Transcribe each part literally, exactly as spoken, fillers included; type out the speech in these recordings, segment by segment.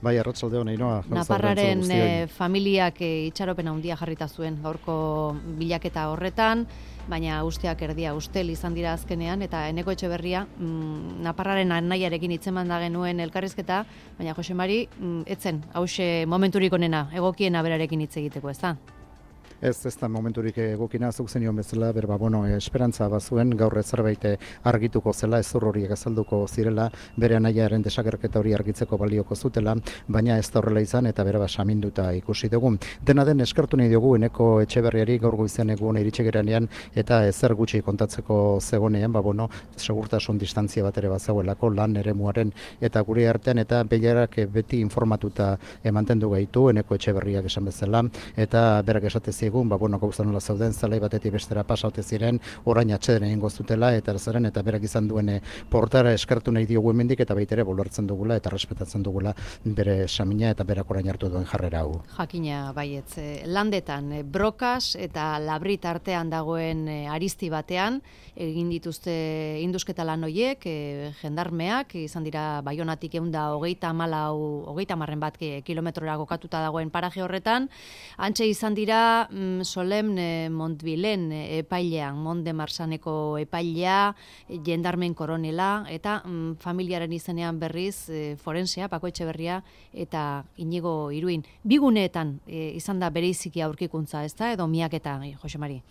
Bai, arratsalde on, Ainhoa. Naparraren e, familiak e, itxaropen handia jarrita zuen gaurko bilaketa horretan, baina usteak erdia ustel izan dira azkenean, eta Eneko Etxeberria mm, Naparraren anaiarekin hitzeman da genuen elkarrizketa, baina Jose Mari, mm, etzen, hause momenturik onena, egokiena berarekin hitz egiteko, ez da? Ez, ez da momenturik egokina, zuk zenion bezala, berba, bueno, esperantza bazuen, gaur zerbait argituko zela, ezur horiek azalduko zirela, bere anaiaren desagerketa hori argitzeko balioko zutela, baina ez da horrela izan, eta bere saminduta ikusi dugu. Dena den, eskertu nahi dugu Eneko Etxeberriari gaur goizean egun iritsi geranean, eta ezer gutxi kontatzeko zegonean, ba, bueno, segurtasun distantzia bat ere bazegoelako, lan eremuaren eta gure artean, eta behiarak beti informatuta mantendu gaitu, Eneko Etxeberriak esan bezala, eta berak esate egun, ba, bueno, gauza nola zauden, zelai batetik bestera pasaute ziren, orain atxeden egin goztutela, eta zeren, eta berak izan duen portara eskertu nahi diogu hemendik, eta baitere bolertzen dugula, eta respetatzen dugula bere samina, eta berak orain hartu duen jarrera hau. Jakina, baietz, landetan, brokas eta labrit artean dagoen aristi batean, egin dituzte indusketa lan hoiek, jendarmeak, izan dira Baionatik eunda hogeita malau, hogeita marren bat kilometrora kokatuta dagoen paraje horretan, antxe izan dira Solemne Montbilen epailean, Mont de Marsaneko epailea, jendarmen koronela, eta mm, familiaren izenean berriz e, forensea, Pako Etxeberria eta Inigo Iruin. Biguneetan e, izan da bereiziki aurkikuntza, ez da, edo miaketa, Jose Mari?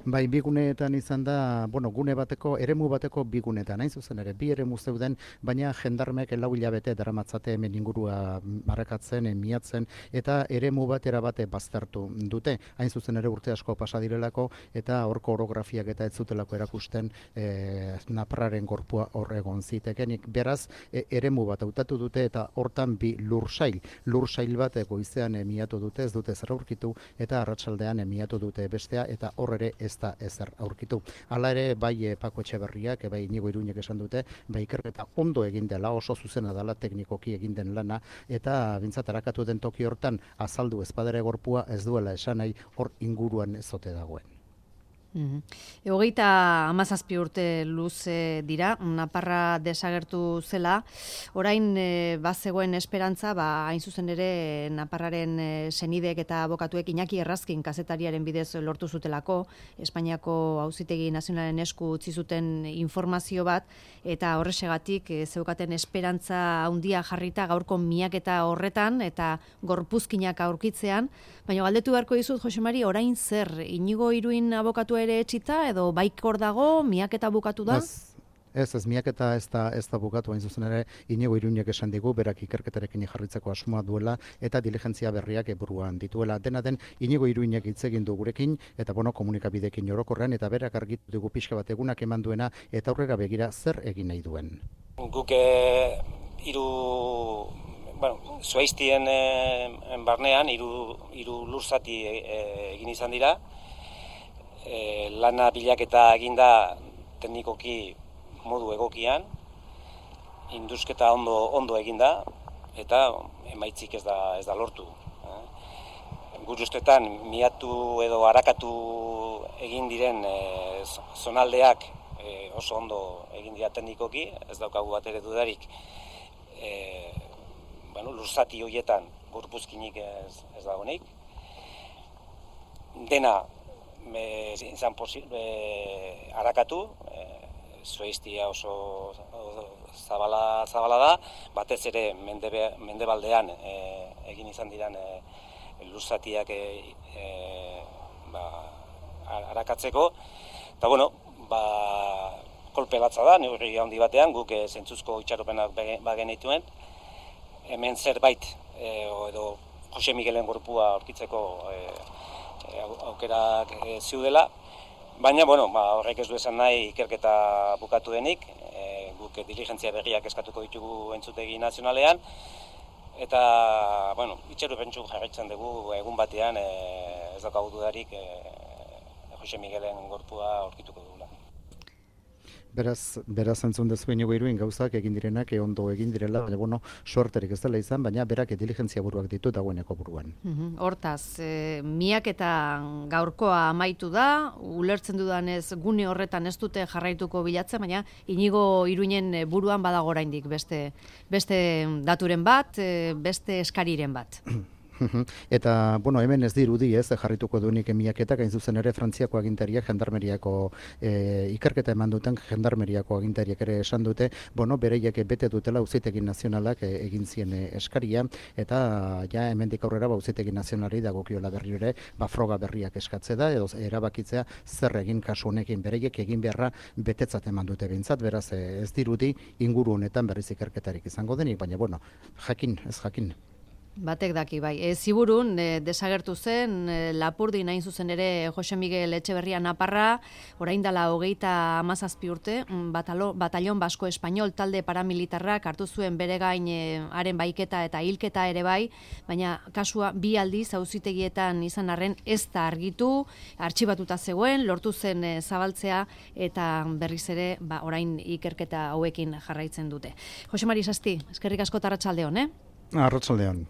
Bai, bi guneetan izan da, bueno, gune bateko, eremu bateko bi guneetan, hain zuzen ere, bi eremu zeuden, baina jendarmek lau hilabete daramatzate hemen ingurua marrakatzen, miatzen, eta eremu batera bate baztertu dute, hain zuzen ere urte asko pasa direlako, eta horko orografiak eta ez zutelako erakusten e, Naparraren gorpua hor egon zitekenik. Beraz, e, eremu bat hautatu dute, eta hortan bi lursail, lursail bat goizean miatu dute, ez dute zer aurkitu, eta arratsaldean miatu dute bestea, eta hor ere ez da ezer aurkitu. Hala ere, bai Pako Etxeberriak, bai Inigo Iruinek esan dute, bai ikerketa ondo egin dela, oso zuzena dela teknikoki egin den lana, eta bintzat arakatu den toki hortan azaldu ezpadere gorpua ez duela esan nahi hor inguruan ezote dagoen. Mm-hmm. Hogeita hamazazpi urte luze dira, Naparra desagertu zela, orain e, bazegoen esperantza, ba, hain zuzen ere Naparraren e, senidek eta abokatuek Iñaki Errazkin kazetariaren bidez lortu zutelako, Espainiako Auzitegi Nazionalen esku utzi zuten informazio bat, eta horrexegatik e, zeukaten esperantza handia jarrita gaurko miaketa horretan, eta gorpuzkinak aurkitzean, baina galdetu beharko dizut, Jose Mari, orain zer, Inigo Iruin abokatu ere etxita, edo baikor dago, miaketa bukatu da? Ez, ez, ez miaketa ez da, ez da bukatu, hain zuzen ere, Inigo Iruinek esan digu, berak ikerketarekin jarritzeko asmoa duela, eta diligentzia berriak buruan dituela. Dena den, Inigo Iruinek hitz egin du gurekin, eta bueno, komunikabidekin orokorrean, eta berak argitu dugu pixka bat egunak eman duena, eta aurrera begira zer egin nahi duen. Guk hiru bueno, Zuaiztien e, barnean hiru hiru lurzati e, egin izan dira. E, lana bilaketa eginda teknikoki modu egokian, indusketa ondo ondo eginda, eta emaitzik ez da ez da lortu. Eh? Gure ustetan miatu edo arakatu egin diren e, zonaldeak e, oso ondo egin dira teknikoki, ez daukagu bat ere dudarik. E, bueno, lurzati horietan gorpuzkinik ez, ez dagoenik. Dena e, izan posible e, arakatu, e, Zuaiztia oso, oso zabala, zabala da, batez ere mendebe, mendebaldean e, egin izan diran e, lurzatiak e, e, ba, arakatzeko. Eta bueno, ba, kolpe latza da, neurri handi batean, guk e, zentzuzko itxaropenak bagenituen. Hemen zerbait, e, edo Jose Miguelen gorpua aurkitzeko e, e, aukerak e, ziudela, baina bueno, ba, horrek ez du esan nahi ikerketa bukatu denik, e, guk diligentzia berriak eskatuko ditugu entzutegi nazionalean, eta bueno, itxaropentsu jarraitzen dugu egun batean e, ez daukagu dudarik e, Jose Miguelen gorpua aurkituko dugula. Beraz, beraz entzun dezu inigo iruin gauzak egin direnak e ondo egin direla, baina bueno, sorterik ez dela izan, baina berak diligentzia buruak ditu dagoeneko buruan. Mhm. Hortaz, e, miak eta gaurkoa amaitu da, ulertzen dudanez gune horretan ez dute jarraituko bilatzen, baina inigo iruinen buruan badago oraindik beste, beste daturen bat, e, beste eskariren bat. Eta, bueno, hemen ez dirudi ez, jarrituko duenik miaketak, hain zuzen ere Frantziako agintariak, jendarmeriako e, ikerketa eman duten jendarmeriako agintariak ere esan dute, bueno, bereiek bete dutela auzitegi nazionalak e, egin zien e, eskaria, eta ja hemendik aurrera ba, auzitegi nazionalari dagokiola berri ere, ba, froga berriak eskatze da, edo erabakitzea zer egin kasu honekin, bereiek egin beharra betetzat eman dute behintzat, beraz e, ez dirudi inguru honetan berriz ikerketarik izango denik, baina, bueno, jakin, ez jakin. Batek daki, bai. E, ziburun, e, desagertu zen, e, Lapurdi nahin zuzen ere Jose Miguel Etxeberria Naparra, orain dela hogeita hamazazpi urte, batalo, batallon basko espainol talde paramilitarrak hartu zuen bere gain e, haren baiketa eta hilketa ere bai, baina kasua bi aldiz auzitegietan izan arren ez da argitu, artxibatuta zegoen, lortu zen e, zabaltzea eta berriz ere ba, orain ikerketa hauekin jarraitzen dute. Jose Mari Sasti, eskerrik asko eta arratsalde on, eh? Arratsalde on.